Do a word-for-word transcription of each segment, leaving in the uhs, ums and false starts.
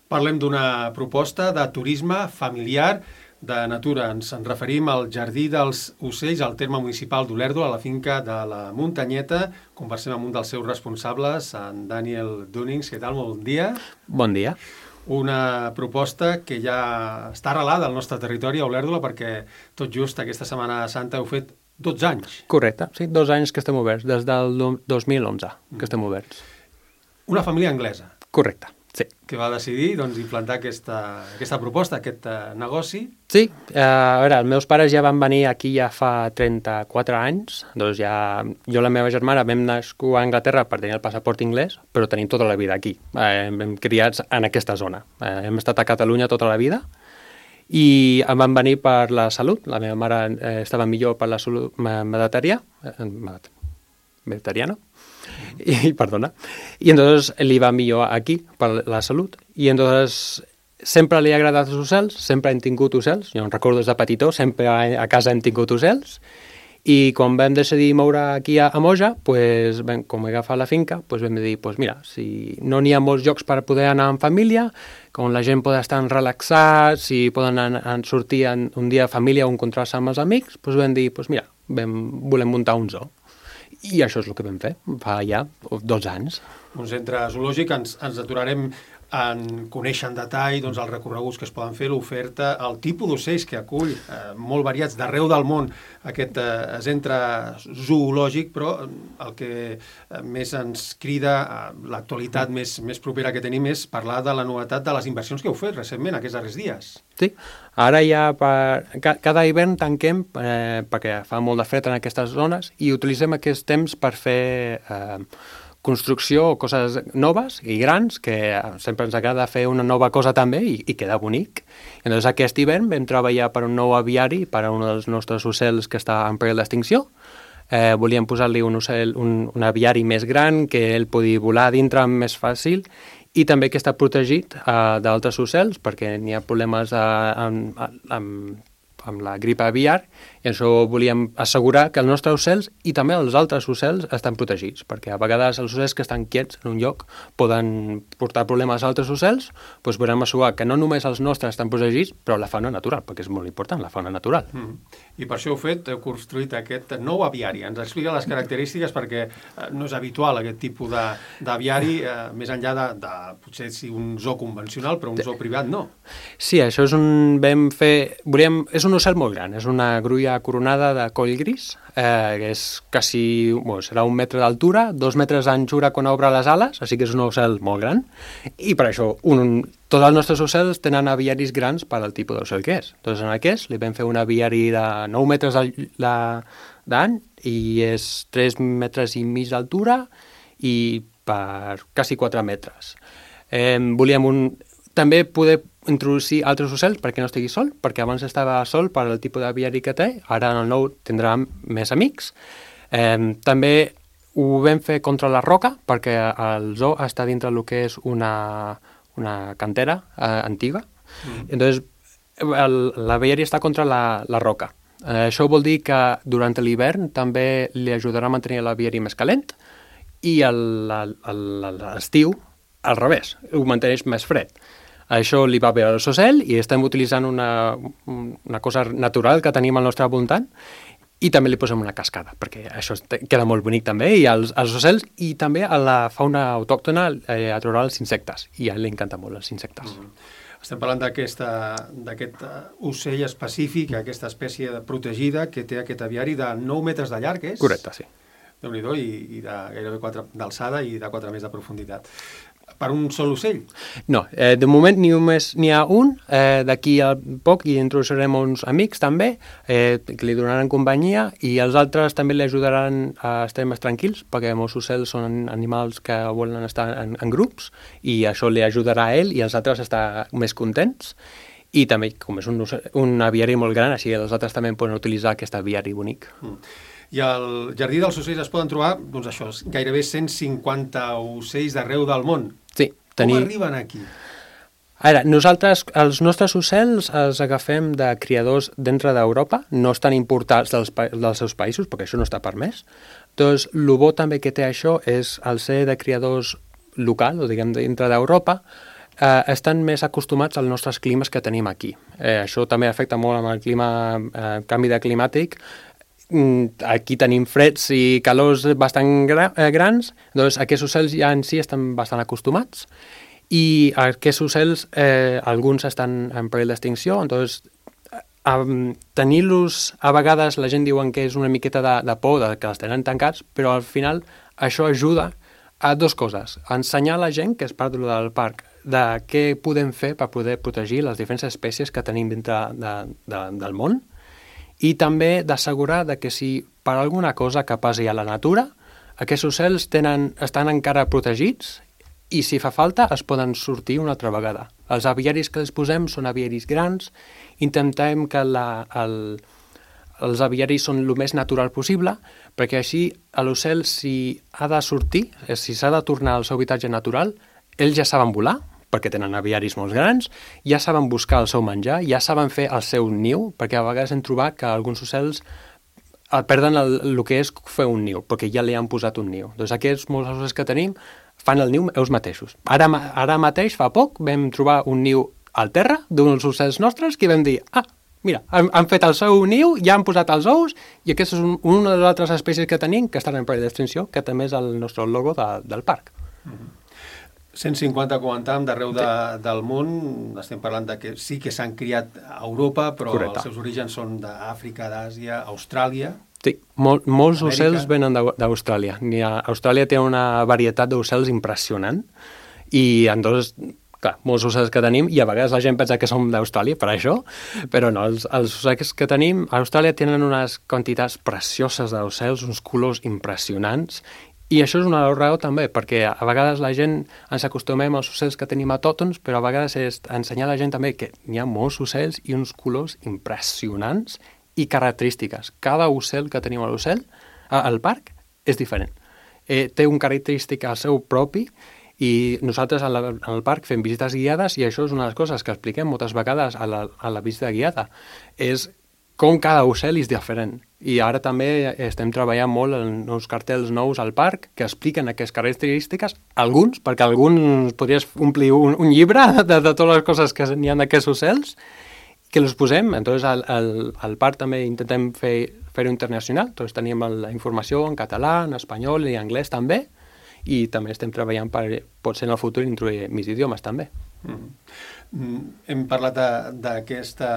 Parlem d'una proposta de turisme familiar de natura. Ens en referim al Jardí dels Ocells, al terme municipal d'Olèrdola, a la finca de la Muntanyeta. Conversem amb un dels seus responsables, en Daniel Dunings. Què tal? Molt bon dia. Bon dia. Una proposta que ja està arrelada al nostre territori, a Olèrdola, perquè tot just aquesta Setmana Santa heu fet dotze anys. Correcte, sí, dos anys que estem oberts, des del dos mil onze que estem oberts. Una família anglesa. Correcte, sí. Que va decidir doncs, implantar aquesta, aquesta proposta, aquest uh, negoci. Sí, eh, a veure, els meus pares ja van venir aquí ja fa trenta-quatre anys, doncs ja jo i la meva germana vam nascut a Anglaterra per tenir el passaport anglès, però tenim tota la vida aquí, eh, hem criats en aquesta zona. Eh, hem estat a Catalunya tota la vida, i em van venir per la salut. La meva mare eh, estava millor per la salut mediterrània, eh, mediterrània, y perdona, y entonces li va millor aquí per la salut, i entonces sempre li ha agradat els ocells, sempre hem tingut ocells, jo em recordo des de petitó, sempre a casa hem tingut ocells, i quan vam decidir moure aquí a, a Moja, pues, vam, com he agafat la finca, pues vam dir, pues mira, si no n'hi ha molts llocs per poder anar en família, on la gent pot estar relaxats, si poden anar, anar, sortir en, un dia a família o encontrar-se amb els amics, pues vam dir, pues mira, vam, volem muntar un zoo. I això és el que vam fer, fa ja dos anys. Un centre zoològic, ens, ens aturarem en conèixer en detall doncs, els recorreguts que es poden fer, l'oferta, el tipus d'ocells que acull, eh, molt variats d'arreu del món, aquest eh, centre zoològic, però el que eh, més ens crida, eh, l'actualitat més, més propera que tenim és parlar de la novetat de les inversions que heu fet recentment, aquests darrers dies. Sí, ara ja per, cada hivern tanquem eh, perquè fa molt de fred en aquestes zones i utilitzem aquest temps per fer eh, construcció o coses noves i grans, que sempre ens agrada fer una nova cosa també i, i queda bonic. I llavors aquest hivern vam treballar per un nou aviari per a un dels nostres ocells que està en perill d'extinció. Eh, volíem posar-li un, ocell, un, un aviari més gran que ell pugui volar dintre més fàcil i també que està protegit eh, d'altres ocells perquè n'hi ha problemes eh, amb, amb, amb la grip aviar, i això volíem assegurar que els nostres ocells i també els altres ocells estan protegits, perquè a vegades els ocells que estan quiets en un lloc poden portar problemes a altres ocells, doncs volem assegurar que no només els nostres estan protegits, però la fauna natural, perquè és molt important, la fauna natural. Mm. I per això heu fet, heu construït aquest nou aviari. Ens explica les característiques perquè eh, no és habitual aquest tipus d'aviari, eh, més enllà de, de potser si un zoo convencional, però un zoo privat no. Sí, això és un... vam fer... Volíem, és un ocell molt gran, és una grulla coronada de coll gris, eh, que és quasi, bueno, serà un metre d'altura, dos metres d'anchura quan obre les ales, així que és un ocell molt gran, i per això un, tots els nostres ocells tenen aviaris grans per al tipus d'ocell que és. Doncs en aquest li vam fer un aviari de nou metres d'any i és tres metres i mig d'altura i per quasi quatre metres. Eh, volíem un, també poder introduir altres ocells perquè no estigui sol, perquè abans estava sol per al tipus d'aviari que té, ara en el nou tindrà més amics. Eh, també ho vam fer contra la roca, perquè el zoo està dintre del que és una, una cantera eh, antiga. Mm. Entonces, l'aviari està contra la, la roca. Eh, això vol dir que durant l'hivern també li ajudarà a mantenir l'aviari més calent i l'estiu al revés, ho manteneix més fred. Això li va bé a l'ocell i estem utilitzant una, una cosa natural que tenim al nostre voltant i també li posem una cascada, perquè això queda molt bonic també, i als, als ocells i també a la fauna autòctona eh, a trobar els insectes, i a ell li encanta molt els insectes. Mm. Estem parlant d'aquest ocell específic, aquesta espècie protegida que té aquest aviari de nou metres de llarg, és? Correcte, sí. Déu-n'hi-do, i, i de gairebé quatre d'alçada i de quatre més de profunditat. Per un sol ocell? No, eh, de moment només n'hi ha un, eh, d'aquí a poc hi introduirem uns amics també, eh, que li donaran companyia, i els altres també li ajudaran a estar més tranquils, perquè molts ocells són animals que volen estar en, en grups, i això li ajudarà a ell i els altres a estar més contents. I també, com és un, un aviari molt gran, així els altres també poden utilitzar aquest aviari bonic. Mm. I al Jardí dels Ocells es poden trobar, doncs això, gairebé cent cinquanta ocells d'arreu del món. Sí. Tenir... Com arriben aquí? Ara, nosaltres, els nostres ocells els agafem de criadors dintre d'Europa, no estan importats dels, dels seus països, perquè això no està permès. Doncs el bo també que té això és el ser de criadors local, o diguem dintre d'Europa, eh, estan més acostumats als nostres climes que tenim aquí. Eh, això també afecta molt amb el clima, eh, canvi de climàtic. Aquí tenim freds i calors bastant gra eh, grans, doncs aquests ocells ja en si estan bastant acostumats i aquests ocells, eh, alguns estan en perill d'extinció, doncs um, tenir-los, a vegades la gent diuen que és una miqueta de, de por, de que els tenen tancats, però al final això ajuda a dues coses, a ensenyar a la gent, que és part del parc, de què podem fer per poder protegir les diferents espècies que tenim dintre de, de, del món, i també d'assegurar que si per alguna cosa que passi a la natura, aquests ocells tenen, estan encara protegits i si fa falta es poden sortir una altra vegada. Els aviaris que els posem són aviaris grans, intentem que la, el, els aviaris són el més natural possible, perquè així l'ocell, si ha de sortir, si s'ha de tornar al seu habitatge natural, ells ja saben volar, perquè tenen aviaris molt grans, ja saben buscar el seu menjar, ja saben fer el seu niu, perquè a vegades hem trobat que alguns ocells perden el, el que és fer un niu, perquè ja li han posat un niu. Doncs aquests molts ocells que tenim fan el niu ells mateixos. Ara, ara mateix, fa poc, vam trobar un niu al terra d'uns ocells nostres que vam dir, ah, mira, han, han fet el seu niu, ja han posat els ous, i aquesta és un, una de les altres espècies que tenim que estan en perill d'extinció, que també és el nostre logo de, del parc. Mm-hmm. cent cinquanta comentàvem d'arreu de, del món, estem parlant de que sí que s'han criat a Europa, però Correcte. Els seus orígens són d'Àfrica, d'Àsia, Austràlia. Sí, Mol, molts Amèrica. Ocells venen d'Austràlia. Austràlia té una varietat d'ocells impressionant i en dos, clar, molts ocells que tenim, i a vegades la gent pensa que som d'Austràlia per això, però no, els, els ocells que tenim a Austràlia tenen unes quantitats precioses d'ocells, uns colors impressionants. I això és una raó també, perquè a vegades la gent ens acostumem als ocells que tenim autòctons, però a vegades és ensenyar a la gent també que hi ha molts ocells i uns colors impressionants i característiques. Cada ocell que tenim a l'ocell, al parc, és diferent. Eh, té un característic al seu propi i nosaltres al parc fem visites guiades i això és una de les coses que expliquem moltes vegades a la, a la visita guiada. És com cada ocell és diferent. I ara també estem treballant molt en uns cartells nous al parc que expliquen aquestes característiques, alguns, perquè alguns podries omplir un, un llibre de, de totes les coses que n'hi ha d'aquests ocells, que els posem. Entonces, al, al, al parc també intentem fer fer-ho internacional. Entonces, tenim la informació en català, en espanyol i en anglès també, i també estem treballant per, potser en el futur, introduir més idiomes també. Mm. Hem parlat d'aquesta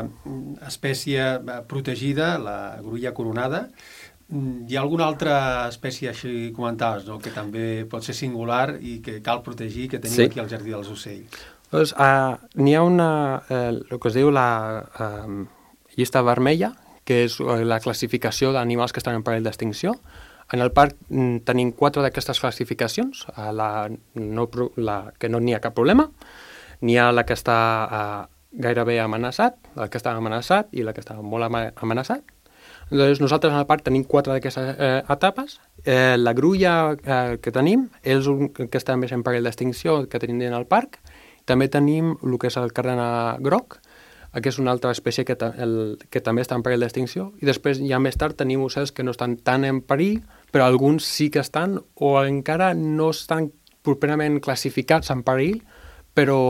espècie protegida, la grulla coronada. Hi ha alguna altra espècie, així comentaves, no? Que també pot ser singular i que cal protegir, que tenim sí. Aquí al Jardí dels Ocells? Doncs, uh, n'hi ha una, uh, el que es diu la uh, llista vermella, que és la classificació d'animals que estan en perill d'extinció. En el parc mm, tenim quatre d'aquestes classificacions, uh, la, no, la que no n'hi ha cap problema, n'hi ha la que està uh, gairebé amenaçat, la que està amenaçat i la que està molt amenaçat. Doncs nosaltres en el parc tenim quatre d'aquestes eh, etapes. Eh, la grulla eh, que tenim és un que està més en perill d'extinció que tenim en el parc. També tenim el que és el cardenal groc, que és una altra espècie que, ta, el, que també està en perill d'extinció. I després, ja més tard, tenim ocells que no estan tan en perill, però alguns sí que estan o encara no estan properament classificats en perill, però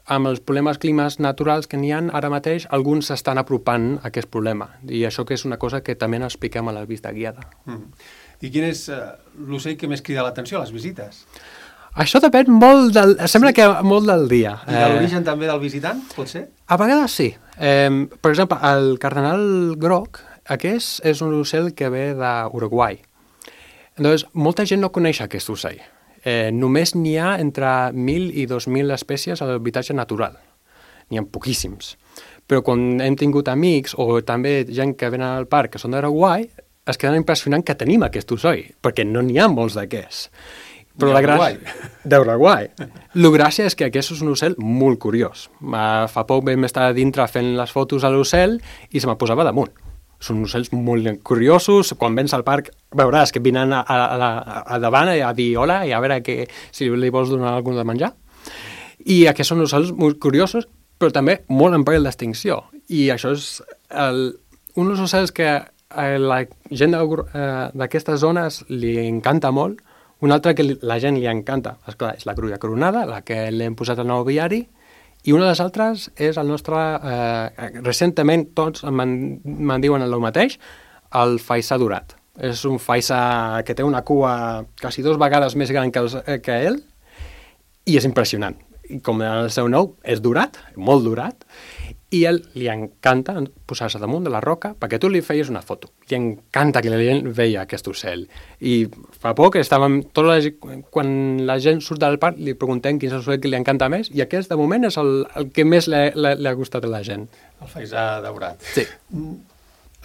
amb els problemes climes naturals que n'hi ha ara mateix, alguns s'estan apropant a aquest problema. I això que és una cosa que també n'expliquem a la visita guiada. Mm. I quin és uh, l'ocell que més crida l'atenció a les visites? Això depèn molt del... Sembla sí. que molt del dia. I de l'origen eh... també del visitant, pot ser? A vegades sí. Eh, per exemple, el cardenal groc, aquest és un ocell que ve d'Uruguai. Llavors, molta gent no coneix aquest ocell. Eh, només n'hi ha entre mil i dos mil espècies a l'habitatge natural. N'hi ha poquíssims. Però quan hem tingut amics o també gent que venen al parc que són d'Uruguai, es queden impressionant que tenim aquest ocell, perquè no n'hi ha molts d'aquests. Però la gràcia... D'Uruguai. La gràcia és que aquest és un ocell molt curiós. Uh, fa poc vam estar dintre fent les fotos a l'ocell i se me posava damunt. Són ocells molt curiosos. Quan vens al parc veuràs que vinen a, a, a, a davant a dir hola i a veure que, si li vols donar alguna de menjar. I aquests són ocells molt curiosos, però també molt en perill d'extinció. I això és el, un dels ocells que a la gent d'aquestes zones li encanta molt, Un altre que la gent li encanta, esclar, és la grulla coronada, la que l'hem posat al nou viari, i una de les altres és el nostre, eh, recentment tots me'n me diuen el mateix, el faisà dorat. És un faisà que té una cua quasi dos vegades més gran que, els, que ell, i és impressionant. I com el seu nom, és dorat, molt dorat, i a ell li encanta posar-se damunt de la roca perquè tu li feies una foto. Li encanta que la gent veia aquest ocell. I fa poc estàvem, tot la, quan la gent surt del parc li preguntem quin és l'ocell que li encanta més i aquest de moment és el, el que més li, li, li ha gustat a la gent. El faisà daurat. Sí.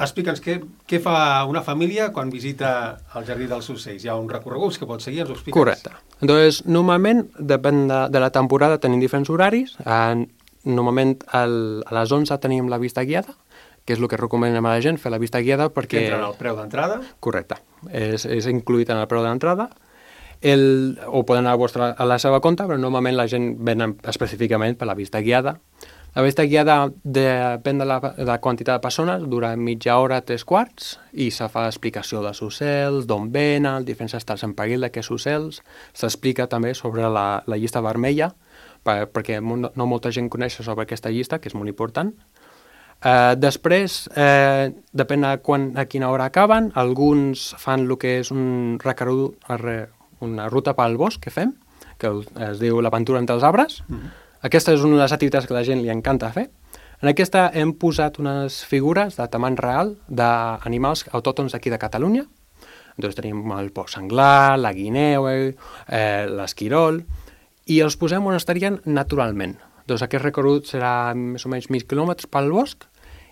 Explica'ns què, què fa una família quan visita el Jardí dels Ocells. Hi ha un recorregut que pots seguir, ens ho expliques? Correcte. Doncs, normalment, depèn de, de la temporada, tenim diferents horaris. En, normalment, el, a les onze tenim la vista guiada, que és el que recomanem a la gent, fer la vista guiada perquè... Que entra en el preu d'entrada? Correcte. És, és incluït en el preu d'entrada. El, o poden anar a, vostra, a la seva compte, però normalment la gent ven específicament per la vista guiada. La vista guiada depèn de la, de la quantitat de persones, dura mitja hora, tres quarts, i se fa explicació dels ocells, d'on venen, diferents estats en perill d'aquests ocells. S'explica també sobre la, la llista vermella, per, perquè no molta gent coneix sobre aquesta llista, que és molt important. Eh, després, eh, depèn de quan, a quina hora acaben, alguns fan el que és un recorregut, una ruta pel bosc que fem, que es diu l'aventura entre els arbres. Mm-hmm. Aquesta és una de les activitats que a la gent li encanta fer. En aquesta hem posat unes figures de tamany real d'animals autòctons d'aquí de Catalunya. Doncs tenim el porc senglar, la guineu, eh, l'esquirol, i els posem on estarien naturalment. Doncs aquest recorregut serà més o menys mil quilòmetres pel bosc,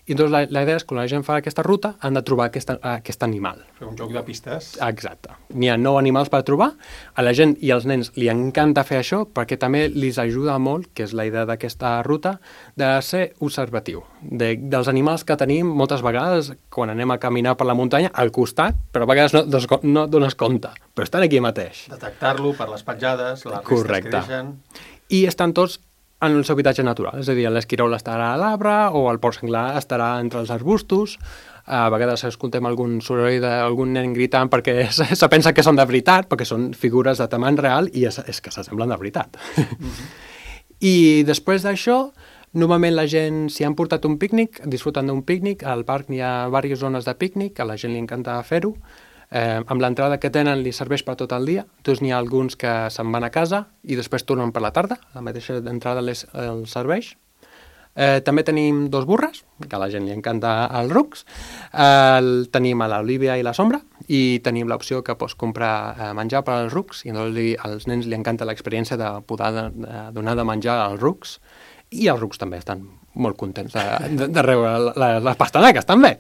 i doncs la, la idea és que quan la gent fa aquesta ruta han de trobar aquest, aquest animal. Fer un joc de pistes. Exacte. N'hi ha nou animals per trobar. A la gent i als nens li encanta fer això perquè també li ajuda molt, que és la idea d'aquesta ruta, de ser observatiu. De, dels animals que tenim moltes vegades quan anem a caminar per la muntanya al costat, però a vegades no, no dones compte, però estan aquí mateix. Detectar-lo per les petjades, les restes Correcte. Que deixen... I estan tots en el seu habitatge natural, és a dir, l'esquirol estarà a l'arbre o el porc senglar estarà entre els arbustos. A vegades escoltem algun soroll d'algun nen gritant perquè se pensa que són de veritat, perquè són figures de tamany real i és, és que s'assemblen de veritat. Mm-hmm. I després d'això, normalment la gent, si han portat un pícnic, disfruten d'un pícnic, al parc n'hi ha diverses zones de pícnic, a la gent li encanta fer-ho. Eh, amb l'entrada que tenen li serveix per tot el dia, doncs n'hi ha alguns que se'n van a casa i després tornen per la tarda, la mateixa entrada les, els serveix. Eh, també tenim dos burres, que a la gent li encanta els rucs, eh, el, tenim a l'Olivia i la Sombra, i tenim l'opció que pots comprar eh, menjar per als rucs, i doncs li, als nens li encanta l'experiència de poder de, de donar de menjar als rucs, i els rucs també estan molt contents de, de, de rebre les pastanaques, també.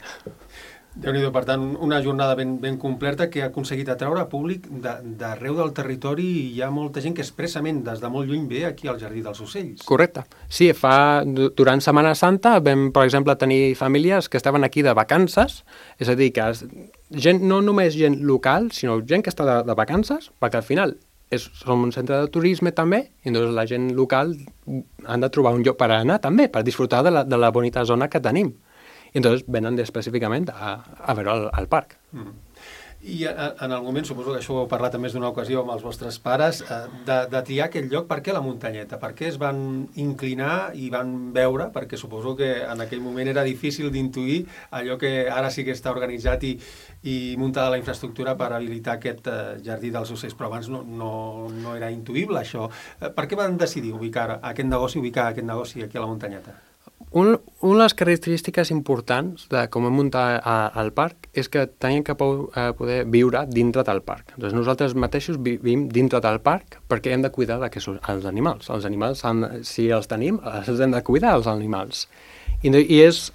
Déu-n'hi-do, per tant, una jornada ben, ben completa que ha aconseguit atraure públic d'arreu del territori i hi ha molta gent que expressament des de molt lluny ve aquí al Jardí dels Ocells. Correcte. Sí, fa, durant Setmana Santa vam, per exemple, tenir famílies que estaven aquí de vacances, és a dir, que gent, no només gent local, sinó gent que està de, de vacances, perquè al final és, som un centre de turisme també, i doncs la gent local han de trobar un lloc per anar també, per disfrutar de la, de la bonita zona que tenim. I entonces venen específicament a, a veure el, el parc. Mm. I a, en el moment, suposo que això ho heu parlat més d'una ocasió amb els vostres pares, de, de triar aquest lloc, per què la muntanyeta? Per què es van inclinar i van veure? Perquè suposo que en aquell moment era difícil d'intuir allò que ara sí que està organitzat i, i muntada la infraestructura per habilitar aquest uh, Jardí dels Ocells, però abans no, no, no era intuïble això. Per què van decidir ubicar aquest negoci, ubicar aquest negoci aquí a la muntanyeta? Un, una de les característiques importants de com hem muntat al parc és que teníem que poder viure dintre del parc. Doncs nosaltres mateixos vivim dintre del parc perquè hem de cuidar d'aquests els animals. Els animals, han, si els tenim, els hem de cuidar, els animals. I, i és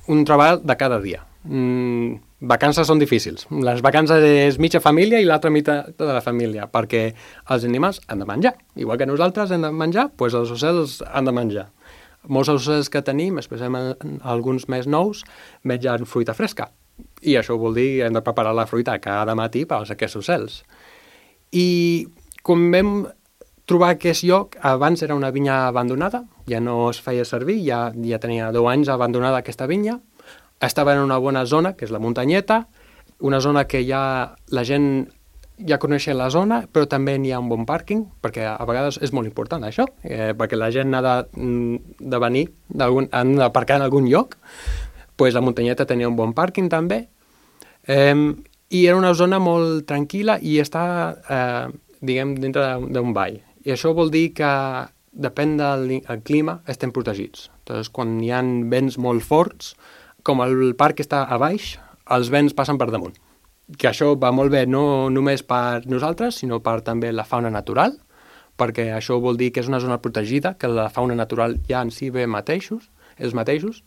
un treball de cada dia. Mm, vacances són difícils. Les vacances és mitja família i l'altra meitat de la família, perquè els animals han de menjar. Igual que nosaltres hem de menjar, doncs els ocells han de menjar. Molts ocells que tenim, especialment alguns més nous, mengen fruita fresca. I això vol dir que hem de preparar la fruita cada matí per als aquests ocells. I quan vam trobar aquest lloc, abans era una vinya abandonada, ja no es feia servir, ja, ja tenia deu anys abandonada aquesta vinya, estava en una bona zona, que és la muntanyeta, una zona que ja la gent ja coneixen la zona, però també n'hi ha un bon pàrquing, perquè a vegades és molt important això, eh, perquè la gent ha de, de venir, han d'aparcar en algun lloc, pues la muntanyeta tenia un bon pàrquing també, eh, i era una zona molt tranquil·la i està, eh, diguem, dintre d'un vall. I això vol dir que depèn del clima, estem protegits. Entonces, quan hi ha vents molt forts, com el parc està a baix, els vents passen per damunt. Que això va molt bé no només per nosaltres, sinó per també la fauna natural, perquè això vol dir que és una zona protegida, que la fauna natural ja en si ve mateixos, els mateixos,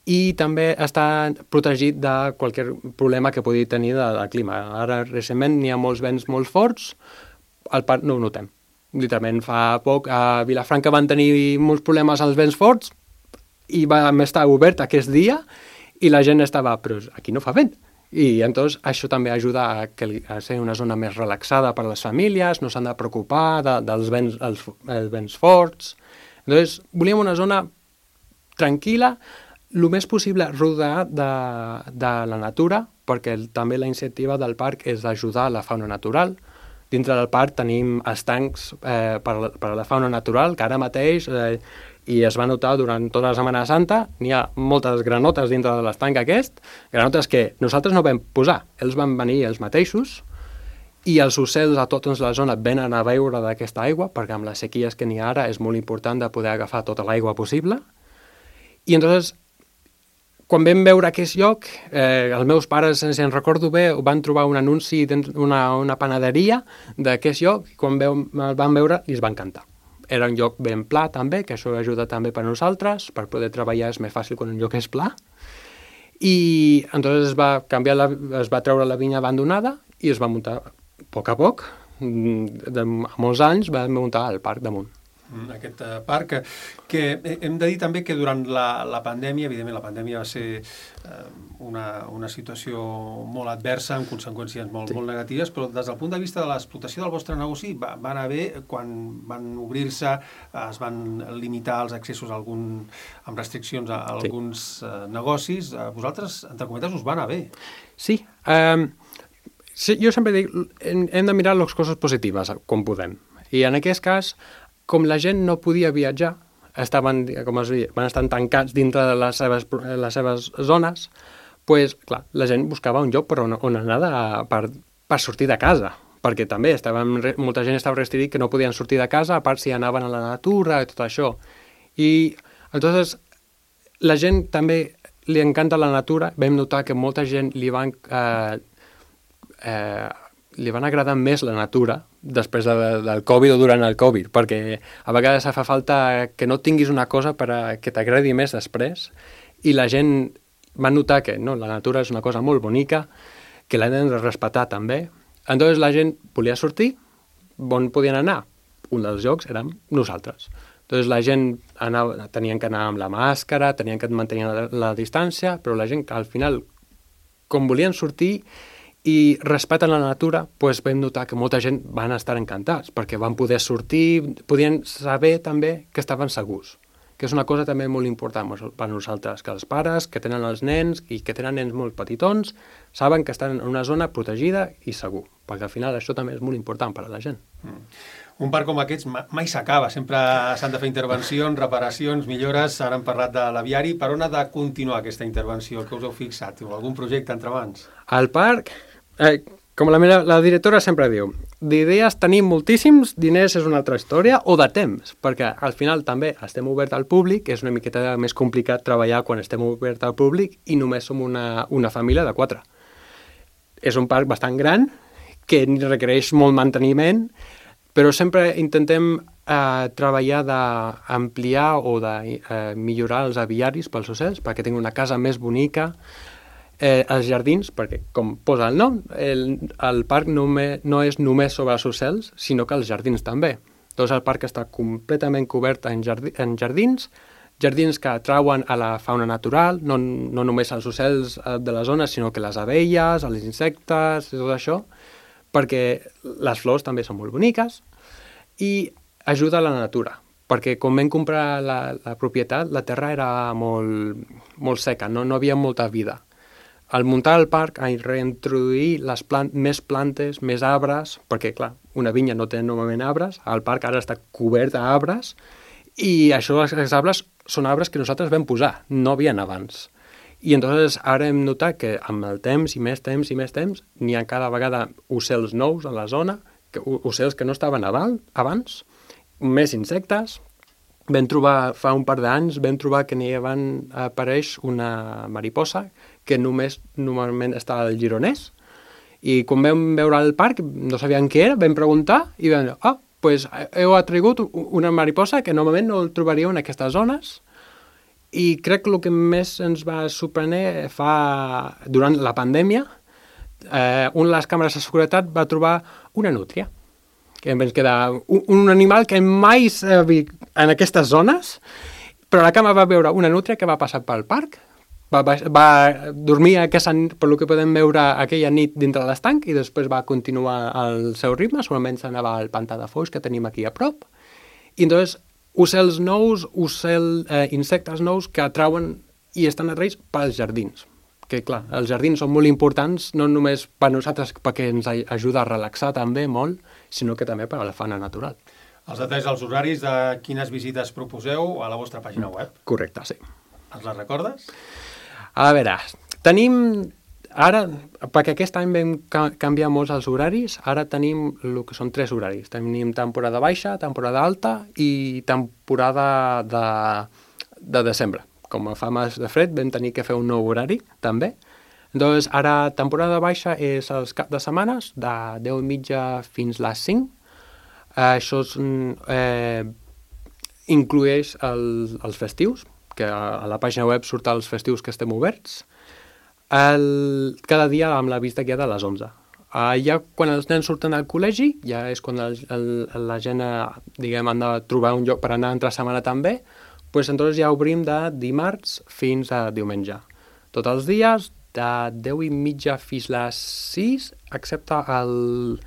i també està protegit de qualsevol problema que pugui tenir del clima. Ara, recentment, n'hi ha molts vents molt forts, al parc no ho notem. Literalment, fa poc a Vilafranca van tenir molts problemes als vents forts i vam estar obert aquest dia i la gent estava, però aquí no fa vent. I llavors això també ajuda a, que, a ser una zona més relaxada per a les famílies, no s'han de preocupar de, dels vents, els, els vents forts. Llavors, volíem una zona tranquil·la, el més possible rodeada de, de la natura, perquè també la iniciativa del parc és ajudar la fauna natural. Dintre del parc tenim estancs eh, per, a, per a la fauna natural, que ara mateix, eh, i es va notar durant tota la Setmana Santa, n'hi ha moltes granotes dintre de l'estanc aquest, granotes que nosaltres no vam posar, ells van venir els mateixos, i els ocells a tota la zona venen a beure d'aquesta aigua, perquè amb les sequies que n'hi ha ara és molt important de poder agafar tota l'aigua possible. I entonces, quan vam veure aquest lloc, eh, els meus pares, si en recordo bé, van trobar un anunci d'una una panaderia d'aquest lloc, i quan veu, el van veure, els va encantar. Era un lloc ben pla també, que això ajuda també per a nosaltres, per poder treballar és més fàcil quan un lloc és pla. I entonces es va canviar, la, es va treure la vinya abandonada i es va muntar a poc a poc, de molts anys, va muntar el parc damunt. Aquest uh, parc, que hem de dir també que durant la, la pandèmia, evidentment la pandèmia va ser uh, una, una situació molt adversa, amb conseqüències molt, sí. molt negatives, però des del punt de vista de l'explotació del vostre negoci va, va anar bé quan van obrir-se, uh, es van limitar els accessos a algun, amb restriccions a, a alguns sí. uh, negocis. Uh, vosaltres, entre cometes, us va anar bé. Sí, um, sí jo sempre dic, hem, hem de mirar les coses positives, com podem. I en aquest cas, com la gent no podia viatjar, estaven, com es diu, van estar tancats dintre de les seves, les seves zones, pues, clar, la gent buscava un lloc per on, on anar de, per, per sortir de casa, perquè també estaven, molta gent estava restringit que no podien sortir de casa, a part si anaven a la natura i tot això. I, entonces, la gent també li encanta la natura, vam notar que molta gent li van... Eh, eh, li van agradar més la natura després de, del Covid o durant el Covid, perquè a vegades fa falta que no tinguis una cosa per a que t'agradi més després, i la gent va notar que no, la natura és una cosa molt bonica, que l'hem de respectar també. Entonces la gent volia sortir, on podien anar? Un dels llocs érem nosaltres. Entonces la gent anava, tenien que anar amb la màscara, tenien que mantenir la, la distància, però la gent que al final, com volien sortir, i respecten la natura, doncs vam notar que molta gent van estar encantats, perquè van poder sortir, podien saber també que estaven segurs, que és una cosa també molt important per nosaltres, que els pares que tenen els nens i que tenen nens molt petitons saben que estan en una zona protegida i segur, perquè al final això també és molt important per a la gent. Mm. Un parc com aquests mai s'acaba, sempre s'han de fer intervencions, reparacions, millores. Ara hem parlat de l'aviari. Per on ha de continuar aquesta intervenció? El que us heu fixat? O algun projecte entre mans? El parc... Eh, com la, meva, la directora sempre diu, d'idees tenim moltíssims, diners és una altra història, o de temps, perquè al final també estem obert al públic, és una miqueta més complicat treballar quan estem obert al públic i només som una, una família de quatre. És un parc bastant gran, que requereix molt manteniment, però sempre intentem eh, treballar d'ampliar o de eh, millorar els aviaris pels ocells, perquè tinguin una casa més bonica. Eh, els jardins, perquè com posa el nom, el, el parc no, me, no és només sobre els ocells, sinó que els jardins també. Doncs el parc està completament cobert en, jardí, en jardins, jardins que atrauen a la fauna natural, no, no només els ocells de la zona, sinó que les abelles, els insectes, i tot això, perquè les flors també són molt boniques, i ajuda a la natura, perquè quan vam comprar la, la propietat, la terra era molt, molt seca, no, no havia molta vida. al muntar el parc, a reintroduir les plant més plantes, més arbres, perquè, clar, una vinya no té normalment arbres, el parc ara està cobert d'arbres, i això, els arbres, són arbres que nosaltres vam posar, no havien abans. I entonces ara hem notat que amb el temps, i més temps, i més temps, n'hi ha cada vegada ocells nous a la zona, que, ocells que no estaven abans, més insectes. Vam trobar, fa un par d'anys, vam trobar que n'hi van apareix una mariposa que només normalment està al Gironès, i quan vam veure el parc no sabíem què era, vam preguntar i vam dir, ah, doncs heu atrigut una mariposa que normalment no el trobaríeu en aquestes zones, i crec que el que més ens va sorprendre fa, durant la pandèmia, eh, una de les càmeres de seguretat va trobar una nútria, que ens queda un, un animal que mai s'ha vist en aquestes zones, però la càmera va veure una nútria que va passar pel parc, va, va, va dormir aquesta, per el que podem veure aquella nit dintre de l'estanc, i després va continuar el seu ritme, solament s'anava al pantà de Foix que tenim aquí a prop, i entonces ocells nous, ocell, eh, insectes nous que atrauen i estan atraïts pels jardins. Que, clar, els jardins són molt importants, no només per nosaltres, perquè ens ajuda a relaxar també molt, sinó que també per a la fauna natural. Els detalls dels horaris de quines visites proposeu a la vostra pàgina web. Correcte, sí. Ens les recordes? A veure, tenim ara, perquè aquest any vam canviar molts els horaris, ara tenim el que són tres horaris. Tenim temporada baixa, temporada alta i temporada de, de desembre. Com fa més de fred, vam tenir que fer un nou horari, també. Doncs ara, temporada baixa és els caps de setmanes, de deu i mitja fins les cinc. Això és, eh, inclueix el, els festius, que a la pàgina web surt els festius que estem oberts, el, cada dia amb la vista guiada a les onze. Uh, ja quan els nens surten al col·legi, ja és quan el, el, la gent, diguem, han de trobar un lloc per anar entre setmana també, doncs entonces ja obrim de dimarts fins a diumenge. Tots els dies, de deu i mitja fins a les sis, excepte el...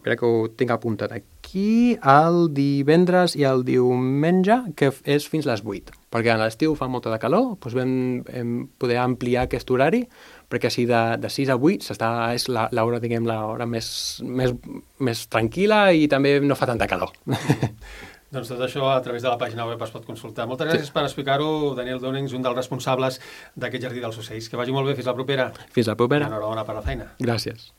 Espera que ho tinc apuntat aquí, el divendres i el diumenge, que és fins a les vuit, perquè a l'estiu fa molta de calor, doncs vam, vam poder ampliar aquest horari, perquè així de, de sis a vuit s'està, és l'hora, diguem, l'hora més, més, més tranquil·la i també no fa tanta calor. Doncs tot això a través de la pàgina web es pot consultar. Moltes gràcies sí. per explicar-ho, Daniel Dònings, un dels responsables d'aquest Jardí dels Ocells. Que vagi molt bé, fins la propera. Fins la propera. Enhorabona per la feina. Gràcies.